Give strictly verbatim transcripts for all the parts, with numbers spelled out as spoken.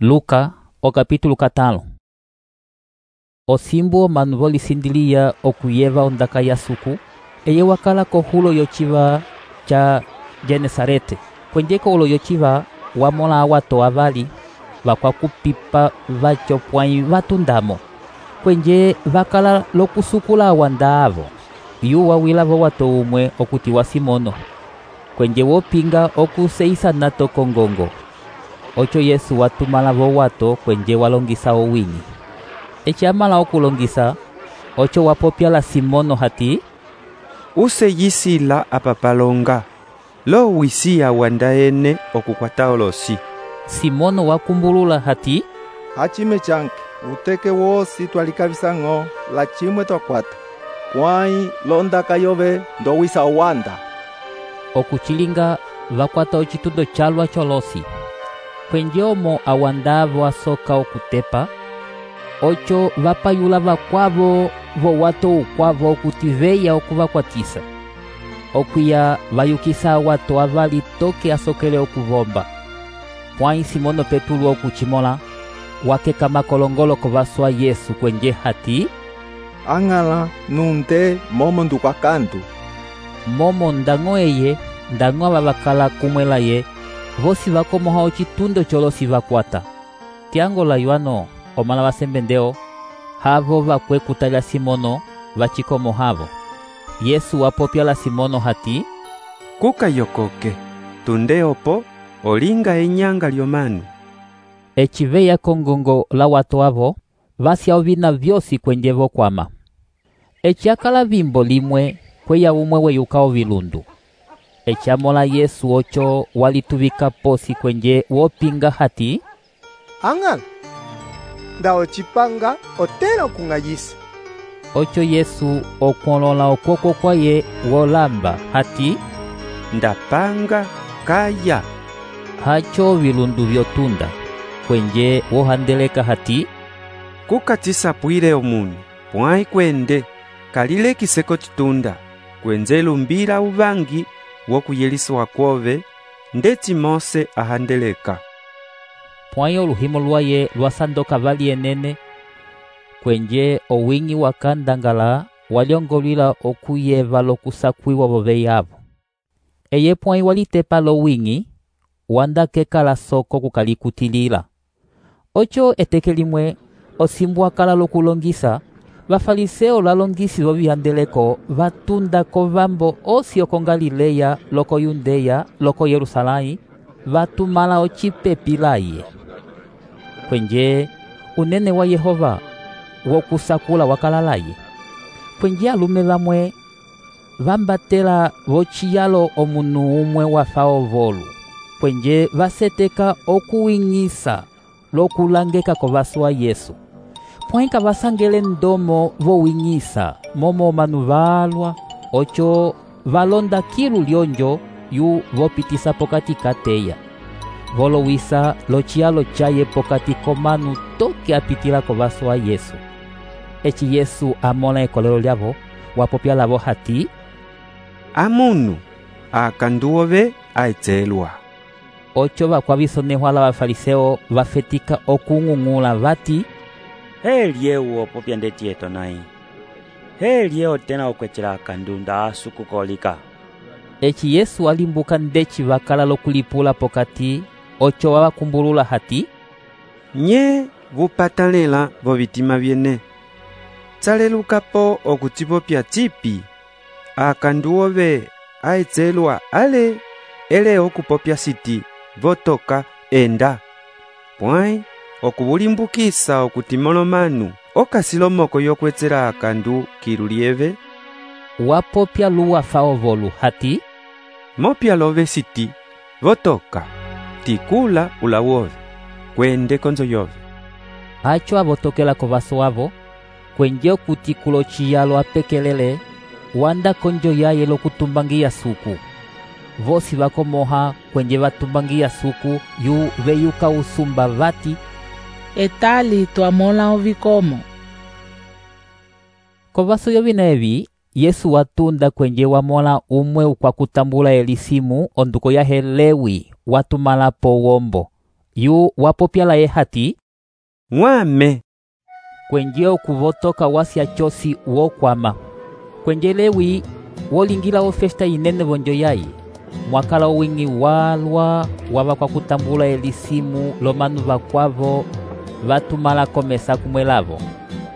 Luka, o capítulo catalo. Osimbu omanu volisindilia okuyeva ondaka ya suku, eye wakala kohulo yociva ca Genesarete. Kwenjeko ulo yociva wamola awato avali vakwakupipa vaco pwãyi vatundamo. Kwenje vakala lokusukula awanda avo, yu wawila vowato umwe okutiwa Simono. Kwenje wopinga okuseisana tokongongo. Ocho Yesu watumala vowato kwenje walongisa owini. Eci amala okulongisa, ocho wapopya la Simono hati, useyisila apapalonga, lo wisiya wanda ene okukwata olosi. Simono wakumbulula hati, hachime chanke, uteke wosi twalikavisa-ng'o la chimwe twakwata, kwãyi londaka yove ndowisa owanda. Okuchilinga vakwata ocitundo calwa cholosi. Kwenje omo awandavo asoka okutepa, ocho vapayula vakwavo vowato ukwavo okuti veya okuvakwatisa. Okuya vayukisa awato avali toke asokele okuvomba. Pwãyi Simono Petulu okuchimola, wakeka makolongolo kovaswa Yesu kwenje hati, ang'ala nunte momo ndukwakandu. Momo ndañgo eye, ndañgo ava vakala kumwela ye, vosi vakomoha ocitundo cholosi vakwata. Tiango la yuano, omala vasembendeo, havo vakwe kutalya Simono, vachikomohavo. Yesu wapopya la Simono hati, kuka yokoke, tunde opo, olinga enyanga lyomanu. Eci veya kongongo la watu avo, vasya ovina vyosi kwenje vokwama. Eci akala vimbo limwe, kweya umwe weyukao vilundu. Eci amola Yesu ocho walituvika posi kwenje wopinga hati, ang'ala, nda ochipanga otela okung'ayisa. Ocho Yesu okwolola okoko kwaye wolamba hati, ndapanga kaya. Hacho vilundu vyotunda, kwenje wohandeleka hati, kukatisapwile omunu, pwãyi kwende, kalile kiseko chitunda, kwenze lumbila uvangi wokuyelisiwa kwove, ndeti Mose ahandeleka. Pwãyi oluhimo lwaye lwasandoka vali enene, kwenje owingi wakandangala walyongolwila okuyeva lokusakwiwa voveyavo. Eye pwãyi walitepa lowingi, wanda kekala soko kukalikutilila. Ocho eteke limwe, osimbu akala lokulongisa, vafariseo lalongisi vovihandeleko vatunda kovambo osi oko Galileya, loko Yundeya, loko Yerusalai, vatumala ocipepi laye. Kwenje unene wa Yehova wokusakula wakala laye. Kwenje alume vamwe vambatela vociyalo omunu umwe wafa ovolu. Kwenje vaseteka okuwing'isa lokulangeka kovaswa Yesu. Pwãyi kavasangele ndomo vowing'isa momo omanu valwa, ocho valonda kilu lyonjo yu vopitisa pokati kateya. Volowisa lociyalo chaye pokati komanu toke apitila kovaswa Yesu. Eci Yesu amola ekolelo lyavo, wapopya lavo hati, amunu akandu ove aetselwa. Ocho vakwavisonehwa la vafariseo vafetika okung'ung'ula vati, helye wopopya ndeti eto nayi. Helye otena okwechela akandu nda asukukolika. Eci Yesu alimbuka ndeci vakala lokulipula pokati, ocho wavakumbulula hati, nye vupatalela vovitima vyene. Tsalelukapo okutipopya tipi, akandu ove aetselwa ale, ele okupopya siti, votoka enda. Pwãyi okuvulimbukisa okutimolomanu, okasilomoko yokwetsela akandu kilu lieve. Wapopya luwafa ovolu hati, mopya love siti, votoka, tikula ula wove, kwende konzo yove. Acho avotokela kovaso avo, kwenje okutikula ociyalo apekelele, wanda konjo yaye lokutumbangiya suku. Vosi vakomoha kwenje vatumbangiya suku yu veyuka usumba vati, etali twamola ovikomo. Kovaso yovina evi, Yesu watunda kwenje wamola umwe ukwakutambula elisimu onduko yahe Lewi watumala po wombo. yu wapopya laye hati, ng'wame. kwenje okuvotoka wasya cosi wokwama. Kwenje Lewi wolingila ofesta inene vonjo yaye, mwakala owing'i walwa wava kwa kutambula elisimu lomanu vakwavo vatumala komesa kumwe lavo.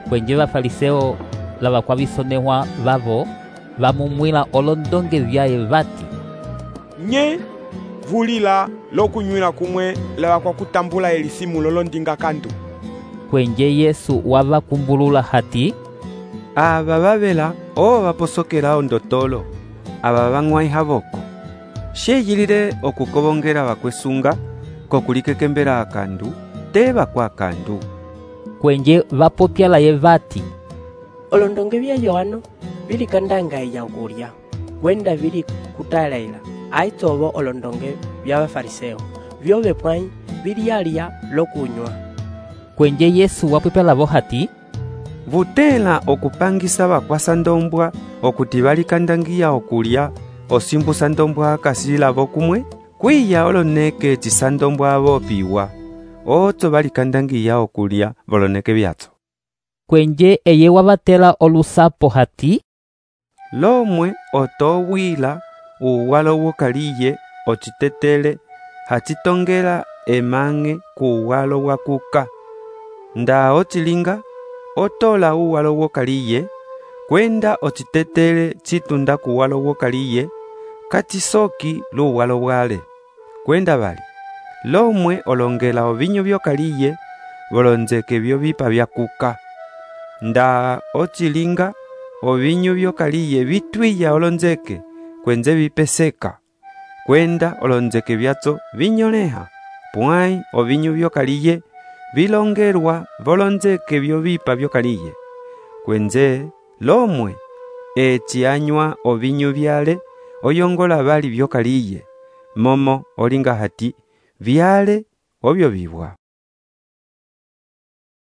Kwenje Vafariseo lava kwa visonehwa vavo vamumwila olondonge vyaye vati, nye vulila lokunywila kumwe lava kwa kutambula elisimu lolondinga kandu. Kwenje Yesu wavakumbulula hati, ava vavela o vaposokela ondotolo ava vang'waiha voko. Sheyilile okukovongela vakwesunga kokulikekembela akandu te vakwa akandu. Kwenje vapopya laye vati, olondonge vya Yohano vili kandanga ya ukulya, wenda vili kutalaila aitovo olondonge vya Vafariseo vyove pwai vili yalya lokunywa. Kwenje Yesu wapopya lavo hati, vutela okupangisa vakwasa ndombwa okuti valikandangiya okulya osimbusa ndombwa akasi lavo kumwe, kwiya oloneke cisa ndombwa avo piwa otso valikandangiya okulya voloneke vyatso. Kwenje eye wavatela olusapo hati, lomwe otowila uwalo wokaliye ocitetele hacitongela emang'e kuwalo wakuka. Nda ocilinga otola uwalo wokaliye kwenda ocitetele citunda kuwalo wokaliye kacisoki luwalo bwale. Kwenda vali lomwe olongela ovinyo vyokaliye volonzeke vyo vipa vyakuka. Nda ocilinga ovinyo vyokaliye vitwiya olonzeke kwenze vipeseka, kwenda olonzeke vyatso vinyoleha, pwai ovinyo vyokaliye vilongelwa volonzeke vyo vipa vyokaliye. Kwenze lomwe eci anywa ovinyo vyale oyongola vali vyokaliye, momo olinga hati vyale ovyo vibwa.